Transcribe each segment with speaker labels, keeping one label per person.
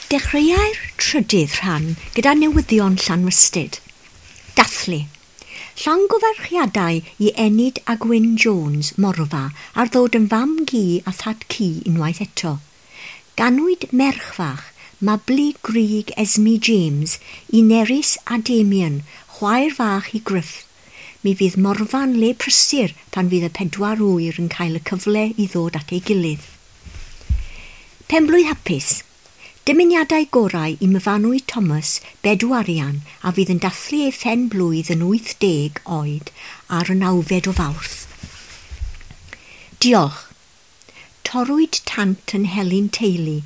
Speaker 1: Dechreuai'r trydydd rhan gyda newyddion Llanrhystud. Dathlu. Llongyfarchiadau i Enid a Gwyn Jones, Morfa, ar ddod yn fam-gu a thad-cu unwaith eto. Ganwyd merch fach, Mabli Grug Esme James, i Nerys a Damien, chwaer fach i Gruff. Mi fydd Morfa'n le prysur pan fydd y pedwar ŵyr yn cael y cyfle i ddod at ei gilydd. Penblwydd hapus. Dymuniadau gorau i Myfanwy Thomas, Bedw Arian, a fydd yn dathlu ei phen blwydd yn 80 oed ar y 9fed o Fawrth. Diolch. Torrwyd tant yn Helyn Teulu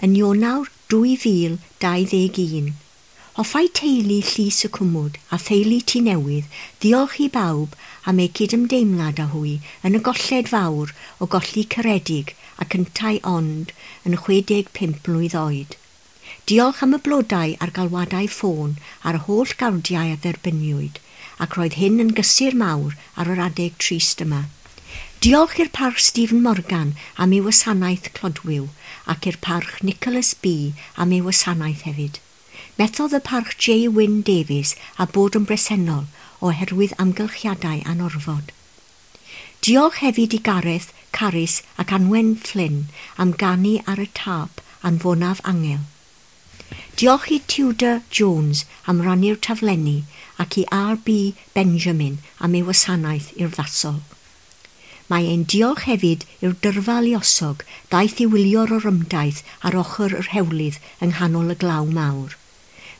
Speaker 1: yn Ionawr 2021. Hoffai teulu Llys y Cwmwd a theulu Tŷ Newydd ddiolch i bawb am eu cydymdeimlad â hwy yn y golled fawr o golli caredig ac yntau ond yn 65 mlwydd oed. Diolch am y blodau a'r galwadau ffôn a'r holl gardiau a dderbyniwyd, ac roedd hyn yn gysur mawr ar yr adeg trist yma. Diolch i'r Parch Stephen Morgan am ei wasanaeth clodwiw ac i'r Parch Nicholas B am ei wasanaeth hefyd. Methodd y Parch J Wyn Davies a bod yn bresennol oherwydd amgylchiadau anorfod. Diolch hefyd i Gareth, Carys ac Anwen Flynn am ganu ar y tâp Anfonaf Angel. Diolch i Tudor Jones am rannu'r taflenni ac i R B Benjamin am ei wasanaeth urddasol. Mae ein diolch hefyd i'r dyrfa luosog ddaeth i wylio'r orymdaith ar ochr yr hewlydd yng nghanol y glaw mawr.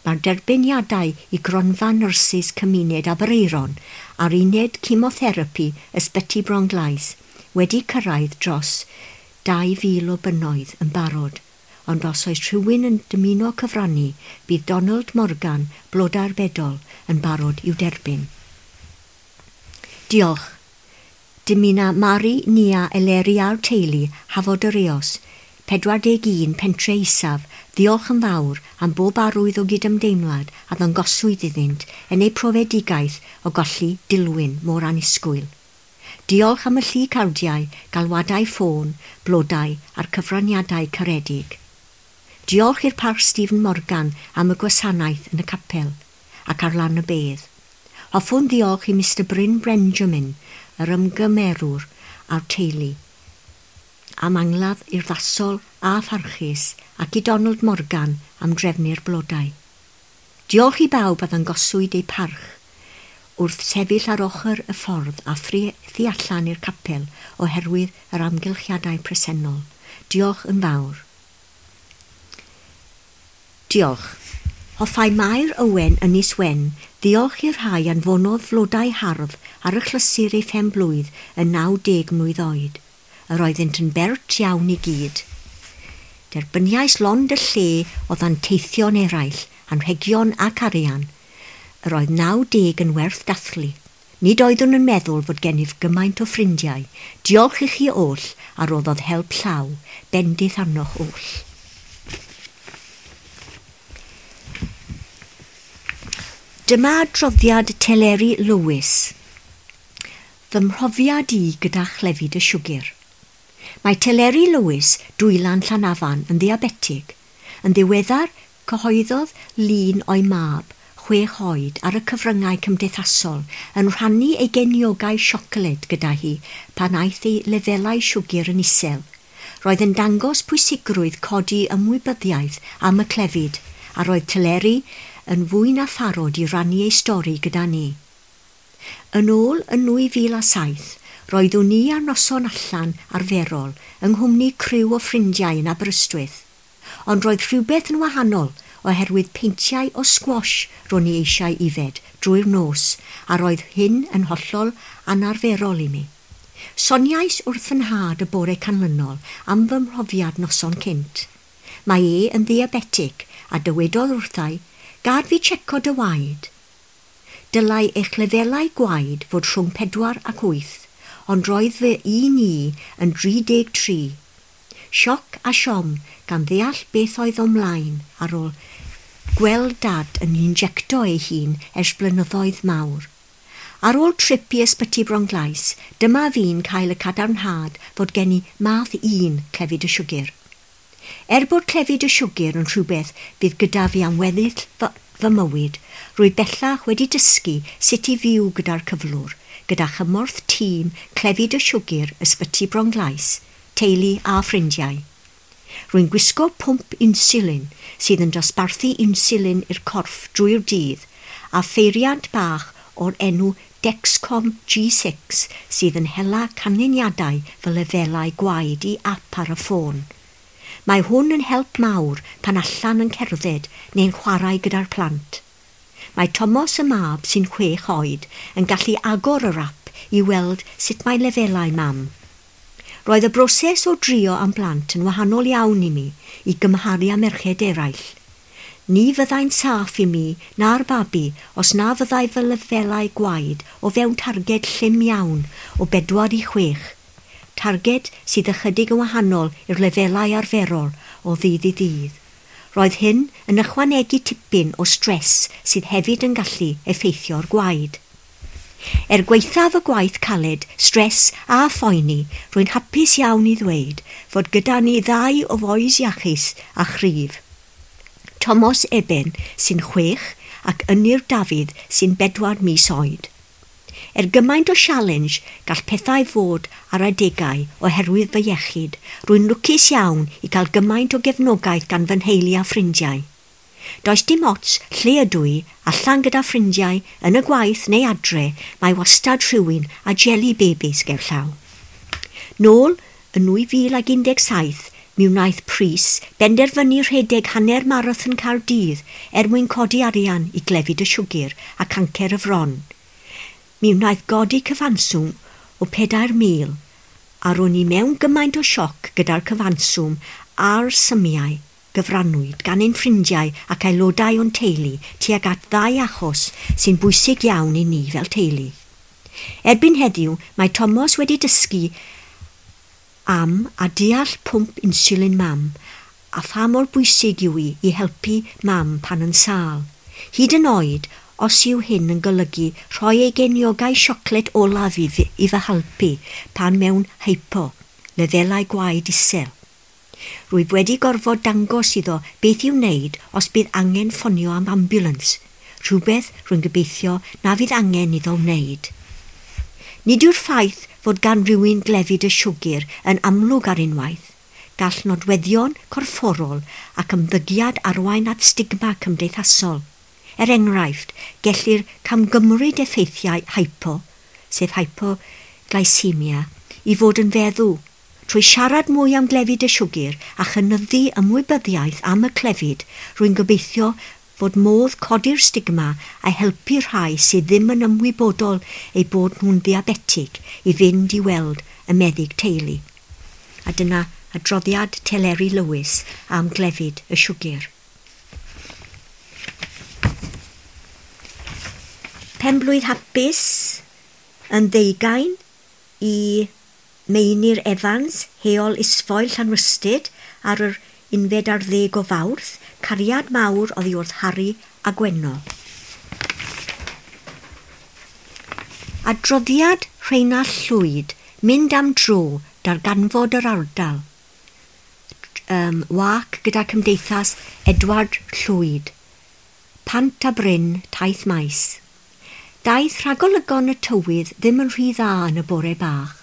Speaker 1: Mae'r derbyniadau i gronfa nyrsys cymuned Aberaeron a'r uned chemotherapi Ysbyty Bronglais wedi cyrraedd dros 2,000 o bunnoedd yn barod, ond os oes rhywun yn dymuno cyfrannu, bydd Donald Morgan, Blodau'r Bedol, yn barod i'w derbyn. Diolch. Dymuna Mari, Nia, Eleri a'r teulu, Hafod yr Eos, 41 Pentre Isaf, ddiolch yn fawr am bob arwydd o gydymdeimlad a ddangoswyd iddynt yn eu profedigaeth o golli Dilwyn mor annisgwyl. Diolch am y llu cardiau, galwadau ffôn, blodau a'r cyfraniadau caredig. Diolch i'r Parch Stephen Morgan am y gwasanaeth yn y capel ac ar lan y bedd. Hoffwn ddiolch i Mr Bryn Benjamin, yr ymgymerwr a'r teulu, am angladd urddasol a pharchus ac i Donald Morgan am drefnu'r blodau. Diolch i bawb a ddangoswyd eu parch wrth sefyll ar ochr y ffordd a thu allan i'r capel oherwydd yr amgylchiadau presennol. Diolch yn fawr. Diolch. Hoffai Mair Owen Ynys Wen ddiolch i'r rhai anfonodd flodau hardd ar y chlysur ei phen blwydd yn 90 mlwydd oed. Yr oeddynt yn bert iawn i gyd. Derbyniais lond y lle o ddanteithion eraill, anrhegion ac arian. Yr oedd 90 yn werth dathlu. Nid oeddwn yn meddwl fod gennyf gymaint o ffrindiau. Diolch i chi oll a roddodd help llaw, bendith arnoch oll. Dyma adroddiad Teleri Lewis. Fy mhrofiad i gyda chlefyd y siwgr. Mae Teleri Lewis, Dwylan Llanafan, yn ddiabetig. Yn ddiweddar, cyhoeddodd lun o'i mab, 6 oed, ar y cyfryngau cymdeithasol, yn rhannu ei geniogau siocled gyda hi pan aeth ei lefelau siwgr yn isel. Roedd yn dangos pwysigrwydd codi ymwybyddiaeth am y clefyd, a roedd Teleri yn fwy na pharod i rannu ei stori gyda ni. Yn ôl yn 2007, roeddwn i ar noson allan arferol yng nghwmni criw o ffrindiau yn Aberystwyth. Ond roedd rhywbeth yn wahanol oherwydd peintiau o squash ro'n i eisiau ifed drwy'r nos, a roedd hyn yn hollol anarferol i mi. Soniais wrth fy nhad y bore canlynol am fy mhrofiad noson cynt. Mae e yn ddiabetig a dywedodd wrthai, gad fi checo dy waed. Dylai eich lefelau gwaed fod rhwng 4 ac 8, ond roedd fy un i yn 33. Sioc a siom gan ddeall beth oedd o'm mlaen ar ôl gweld dad yn injecto ei hun ers blynyddoedd mawr. Ar ôl trip i Ysbyty Bronglais, dyma fi'n cael y cadarnhad fod gen i math 1 clefyd y siwgr. Er bod clefyd y siwgr yn rhywbeth fydd gyda fi am weddill fy mywyd, rwy bellach wedi dysgu sut i fyw gyda'r cyflwr, gyda chymorth tîm clefyd y siwgr Ysbyty Bronglais, teulu a ffrindiau. Rwy'n gwisgo pwmp insulin sydd yn dosbarthu insulin i'r corff drwy'r dydd a pheiriant bach o'r enw Dexcom G6 sydd yn hela canlyniadau fy lefelau gwaed i ap ar y ffôn. Mae hwn yn help mawr pan allan yn cerdded neu'n chwarae gyda'r plant. Mae Tomos y mab sy'n 6 oed yn gallu agor yr ap i weld sut mae lefelau mam. Roedd y broses o drio am blant yn wahanol iawn i mi i gymharu â merched eraill. Ni fyddai'n saff i mi na'r babi os na fyddai fy lefelau gwaed o fewn targed llym iawn o 4 i 6. Targed sydd ychydig yn wahanol i'r lefelau arferol o ddydd i ddydd. Roedd hyn yn ychwanegu tipyn o stres sydd hefyd yn gallu effeithio'r gwaed. Er gwaethaf y gwaith caled, stres a phoeni, rwy'n hapus iawn i ddweud fod gyda ni ddau o fois iachus a chryf. Tomos Eben sy'n 6 ac Ynyr Dafydd sy'n 4 mis oed. Er gymaint o sialens gall pethau fod ar adegau oherwydd fy iechyd, rwy'n lwcus iawn i gael gymaint o gefnogaeth gan fy nheulu a ffrindiau. Does dim ots lle ydw i, allan gyda ffrindiau, yn y gwaith neu adre, mae wastad rhywun a jelly babies gerllaw. Nôl yn 2017, mi wnaeth Prys benderfynu rhedeg hanner marathon Caerdydd er mwyn codi arian i glefyd y siwgr a cancer y fron. Mi wnaeth godi cyfanswm o 4,000 a ro'n i mewn gymaint o sioc gyda'r cyfanswm a'r symiau gyfrannwyd gan ein ffrindiau ac aelodau o'n teulu tuag at ddau achos sy'n bwysig iawn i ni fel teulu. Erbyn heddiw, mae Tomos wedi dysgu am a deall pwmp insulin mam a pha mor bwysig yw hi i helpu mam pan yn sâl. Hyd yn oed, os yw hyn yn golygu rhoi ei geniogau siocled olaf i fy helpu pan mewn hypo, lefelau gwaed isel. Rwyf wedi gorfod dangos iddo beth i'w wneud os bydd angen ffonio am ambulance, rhywbeth rwy'n gobeithio na fydd angen iddo wneud. Nid yw'r ffaith fod gan rywun glefyd y siwgr yn amlwg ar unwaith. Gall nodweddion corfforol ac ymddygiad arwain at stigma cymdeithasol. Er enghraifft, gellir camgymryd effeithiau hypo, sef hypoglycemia, i fod yn feddw. Trwy siarad mwy am glefyd y siwgr a chynyddu ymwybyddiaeth am y clefyd, rwy'n gobeithio fod modd codi'r stigma a helpu rhai sydd ddim yn ymwybodol eu bod nhw'n ddiabetig i fynd i weld y meddyg teulu. A dyna adroddiad Teleri Lewis am glefyd y siwgr. Penblwydd hapus yn 20 i Meinir Evans, Heol Isfoel Llanrhystud ar yr 11 o Fawrth, cariad mawr oddi wrth Harry a Gwenno. Adroddiad Rheinallt Llwyd, mynd am dro, darganfod yr ardal. Wac gyda Cymdeithas Edward Llwyd. Pant a Bryn, Taith Maes. Daeth rhagolygon y tywydd ddim yn rhy dda yn y bore bach,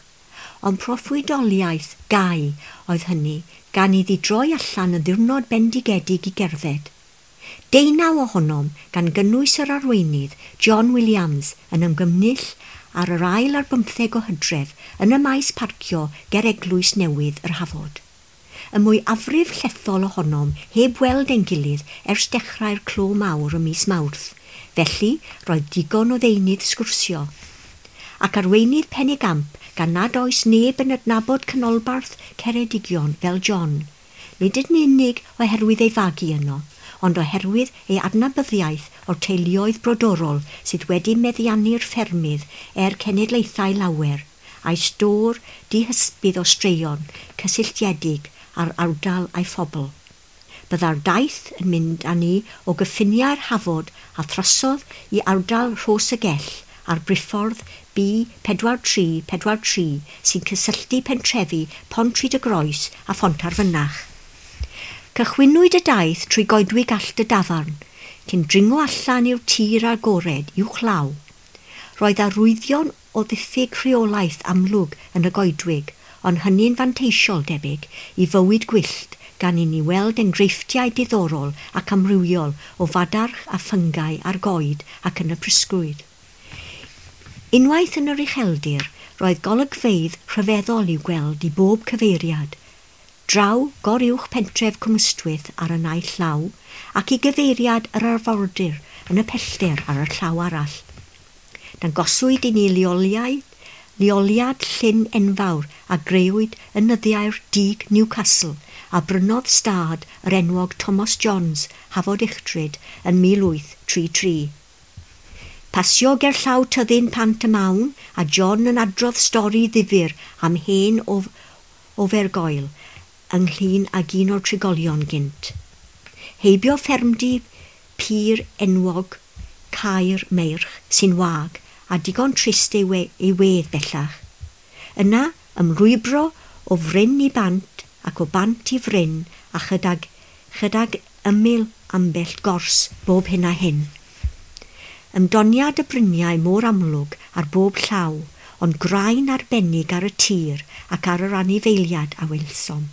Speaker 1: ond proffwydoliaeth gau oedd hynny gan iddi droi allan yn ddiwrnod bendigedig i gerdded. 19 ohonom, gan gynnwys yr arweinydd, John Williams, yn ymgynnull ar yr 24 o Hydref yn y maes parcio ger Eglwys Newydd yr Hafod. Y mwyafrif llethol ohonom heb weld ein gilydd ers dechrau'r clo mawr ym mis Mawrth, felly roedd digon o ddeunydd sgwrsio. Ac arweinydd penigamp gan nad oes neb yn adnabod canolbarth Ceredigion fel John, nid yn unig oherwydd ei fagu yno, ond oherwydd ei adnabyddiaeth o'r teuluoedd brodorol sydd wedi meddiannu'r ffermydd er cenedlaethau lawer, a'i stôr dihysbydd o straeon cysylltiedig â'r ardal a'i phobl. Byddai'r daith yn mynd â ni o gyffiniau'r Hafod a throsodd i ardal Rhos y Gell a'r briffordd B4343 sy'n cysylltu pentrefi Pontrhyd-y-Groes a Phontarfynach. Cychwynnwyd y daith trwy goedwig Allt y Dafarn, cyn dringo allan i'r tir agored uwchlaw. Roedd arwyddion o ddiffyg rheolaeth amlwg yn y goedwig, ond hynny'n fanteisiol debyg i fywyd gwyllt gan i ni weld enghreifftiau diddorol ac amrywiol o fadarch a ffyngau ar goed ac yn y prysgwydd. Unwaith yn yr ucheldir, roedd golygfeydd rhyfeddol i'w gweld i bob cyfeiriad. Draw goruwch pentref Cwmystwyth ar y naill llaw ac i gyfeiriad yr arfordir yn y pellter ar y llaw arall. Dangoswyd i ni leoliad llyn enfawr a grëwyd yn nyddiau'r Dug Newcastle a brynodd stad yr enwog Thomas Johns, Hafod Uchtryd, yn 1833. Pasio gerllaw tyddyn Pant y Mawn a John yn adrodd stori ddifyr am hen ofergoel ynglyn ag un o'r trigolion gynt. Heibio ffermdy pur enwog Caer Meirch sy'n wag a digon trist ei wedd bellach. Yna ymlwybro o fryn i bant ac o bant i fryn a chydag ymyl ambell gors bob hyn a hyn. Ymdoniad y bryniau mor amlwg ar bob llaw, ond graen arbennig ar y tir ac ar yr anifeiliad a welsom.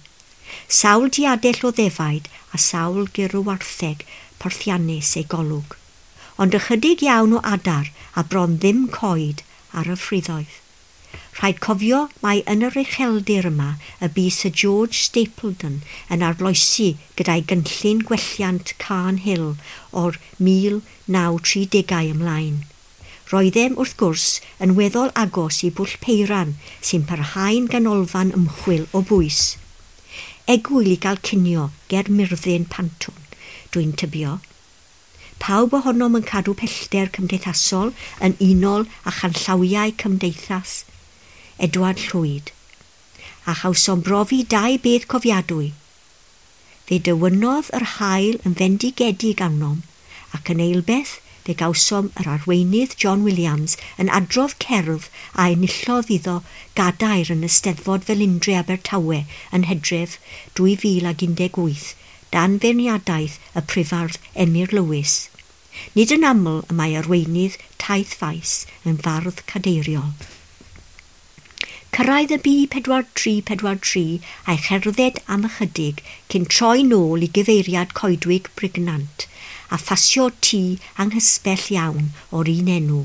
Speaker 1: Sawl diadell o ddefaid a sawl gyrw-wartheg porthiannus ei golwg, ond ychydig iawn o adar a bron ddim coed ar y ffriddoedd. Rhaid cofio mai yn yr ucheldir yma y bu Sir George Stapledon yn arloesi gyda'i gynllun gwelliant Carn Hill o'r 1930au ymlaen. Roeddem, wrth gwrs, yn weddol agos i Bwll Peiran sy'n parhau'n ganolfan ymchwil o bwys. Egwyl i gael cinio ger Myrddin Pantwn, dwi'n tybio. Pawb ohonom yn cadw pellter cymdeithasol yn unol â chanllawiau cymdeithas Edward Llwyd, a chawsom brofi dau beth cofiadwy. Fe dywynodd yr haul yn fendigedig arnom, ac yn eilbeth fe gawsom yr arweinydd John Williams yn adrodd cerdd a enillodd iddo gadair yn y Steddfod Felindre Abertawe yn Hydref 2018, dan feirniadaeth y prifardd Emyr Lewis. Nid yn aml y mae arweinydd taith faes yn fardd cadeiriol. Cyrraedd y B4343 a'i cherdded am ychydig cyn troi nôl i gyfeiriad coedwig Brignant a phasio tŷ anghysbell iawn o'r un enw.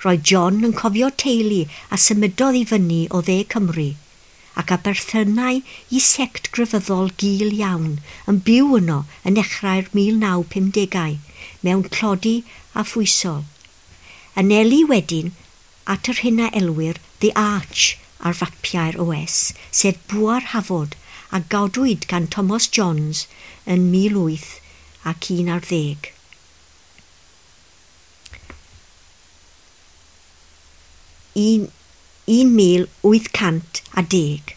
Speaker 1: Roedd John yn cofio teulu a symudodd i fyny o dde Cymru ac a berthynai i sect grefyddol gul iawn yn byw yno yn nechrau'r 1950au mewn tlodi a phwysol. Anelu wedyn at yr hyn a elwir The Arch ar fapiau'r OS, sef Bwa'r Hafod, a godwyd gan Thomas Johns yn 1811. 1810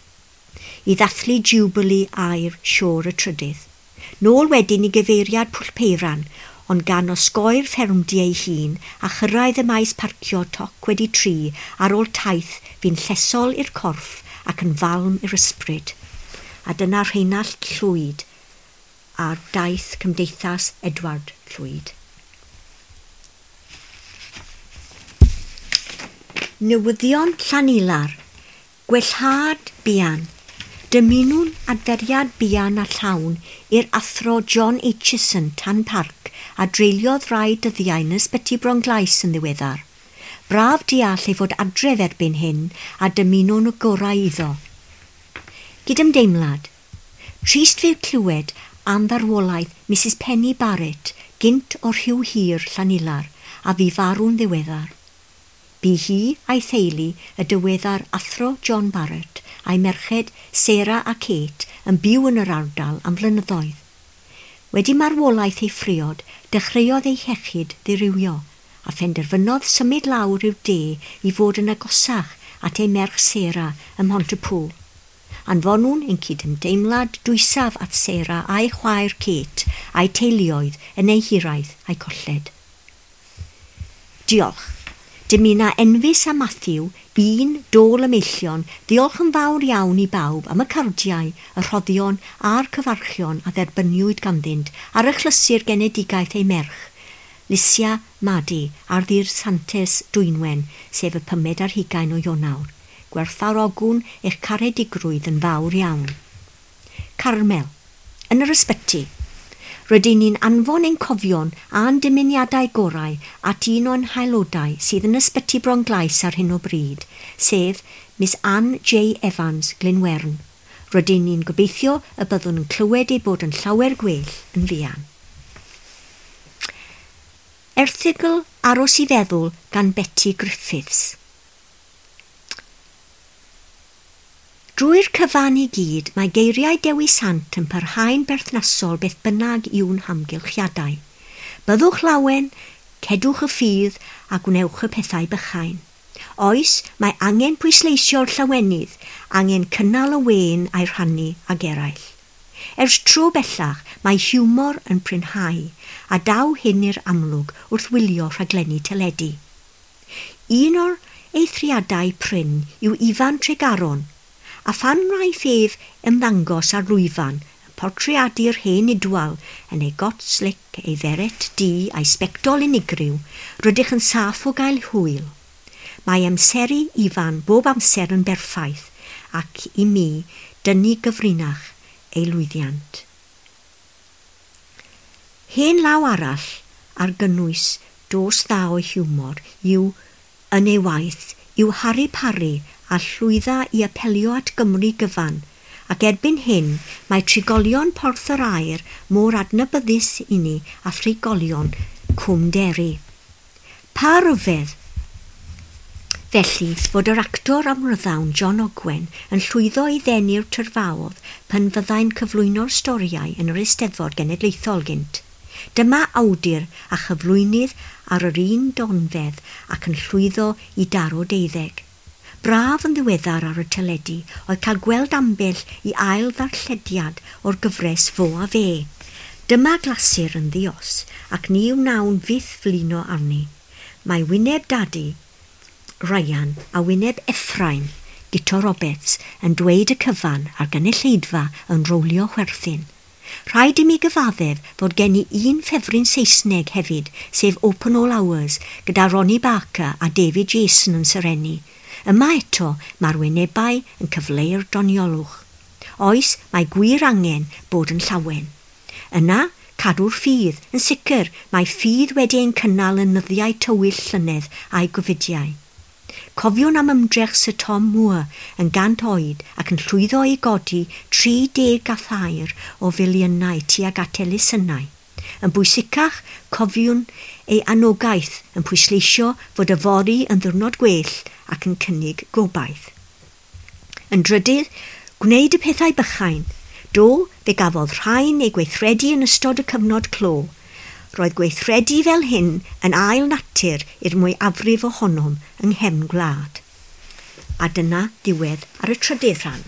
Speaker 1: i ddathlu Jubilee aur Siôr y Trydydd. Nôl wedyn i gyfeiriad Pwll Peiran, ond gan osgoi'r ffermdy ei hun a chyrraedd y maes parcio toc wedi 3 ar ôl taith fu'n llesol i'r corff ac yn falm i'r ysbryd. A dyna Rheinallt Llwyd ar daith Cymdeithas Edward Llwyd. Newyddion Llanilar, Gwellhad buan. Dymunwn adferiad buan a llawn i'r athro John Aitchison Tan Parc a dreuliodd rai dyddiau yn ysbyty Bronglais yn ddiweddar. Braf deall ei fod adref erbyn hyn a dymunwn y gorau iddo. Gydymdeimlad. Trist fydd clywed am farwolaeth Mrs Penny Barrett gynt o'r Rhiw Hir Llanilar a fu farw'n ddiweddar. Bu hi a'i theulu y diweddar athro John Barrett a'i merched Sarah a Kate yn byw yn yr ardal am flynyddoedd. Wedi marwolaeth ei phriod, dechreuodd ei hiechyd ddirywio a phenderfynodd symud lawr i'r de i fod yn agosach at ei merch Sarah ym Mhontypŵl. Anfonwn ein cydymdeimlad dwysaf at Sarah a'i chwaer Kate a'i teuluoedd yn eu hiraeth a'i colled. Diolch. Dymuna Enfys a Matthew, un dôl y meillion, ddiolch yn fawr iawn i bawb am y cardiau, y rhoddion a'r cyfarchion a dderbyniwyd ganddynt ar achlysur genedigaeth ei merch, Lisia Madi, ar ddydd Santes Dwynwen, sef y 25 o Ionawr. Gwerthfawrogwn eich caredigrwydd yn fawr iawn. Carmel. Yn yr ysbyty. Rydyn ni'n anfon ein cofion a'n dymuniadau gorau at un o'n haelodau sydd yn ysbyty Bronglais ar hyn o bryd, sef Miss Anne J Evans Glynwern. Rydyn ni'n gobeithio y byddwn yn clywed ei bod yn llawer gwell yn fuan. Erthygl Aros i Feddwl gan Betty Griffiths. Drwy'r cyfan i gyd, mae geiriau Dewi Sant yn parhau'n berthnasol beth bynnag yw'n hamgylchiadau. Byddwch lawen, cedwch y ffydd a gwnewch y pethau bychain. Oes, mae angen pwysleisio'r llawenydd, angen cynnal y wên a'i rhannu ag eraill. Ers tro bellach, mae hiwmor yn prinhau, a daw hyn i'r amlwg wrth wylio rhaglenni teledu. Un o'r eithriadau prin yw Ifan Tregaron, a phan wnaeth ef ymddangos ar lwyfan yn portreadu'r hen Idwal yn ei got slic, ei feret du a'i sbectol unigryw, rydych yn saff o gael hwyl. Mae amseru Ifan bob amser yn berffaith ac i mi dynnu gyfrinach ei lwyddiant. Hen law arall ar gynnwys dos dda o hiwmor yw yn ei waith yw Harri Parri a llwydda i apelio at Gymru gyfan, ac erbyn hyn mae trigolion Porth yr Aur mor adnabyddus i ni a thrigolion Cwm Deri. Pa ryfedd, felly, fod yr actor amryddawn John Ogwen yn llwyddo i ddenu'r tyrfaodd pan fyddai'n cyflwyno'r storïau yn yr Eisteddfod Genedlaethol gynt. Dyma awdur a chyflwynydd ar yr un donfedd ac yn llwyddo i daro deuddeg. Braf yn ddiweddar ar y teledu oedd cael gweld ambell i ail ddarllediad o'r gyfres Fo a Fe. Dyma glasur yn ddi-os ac ni wnawn fyth flino arni. Mae wyneb Dadi, Ryan, a wyneb Ephraim, Guto Roberts, yn dweud y cyfan a'r gynulleidfa yn rowlio chwerthin. Rhaid i mi gyfaddef fod gen i un ffefryn Saesneg hefyd, sef Open All Hours, gyda Ronnie Barker a David Jason yn serennu. Yma eto, mae'r wynebau yn cyfleu'r doniolwch. Oes, mae gwir angen bod yn llawen. Yna, cadw'r ffydd. Yn sicr, mae ffydd wedi ein cynnal yn nyddiau tywyll llynedd a'i gofidiau. Cofiwn am ymdrech Sir Tom Moore yn 100 oed ac yn llwyddo i godi 33 o filiynau tuag at elusennau. Yn bwysicach, cofiwn ei anogaeth yn pwysleisio fod yfory yn ddiwrnod gwell ac yn cynnig gobaith. Yn drydydd, gwneud y pethau bychain. Do, fe gafodd rhain eu gweithredu yn ystod y cyfnod clo. Roedd gweithredu fel hyn yn ail natur i'r mwyafrif ohonom yng nghefn gwlad. A dyna ddiwedd ar y trydydd rhan.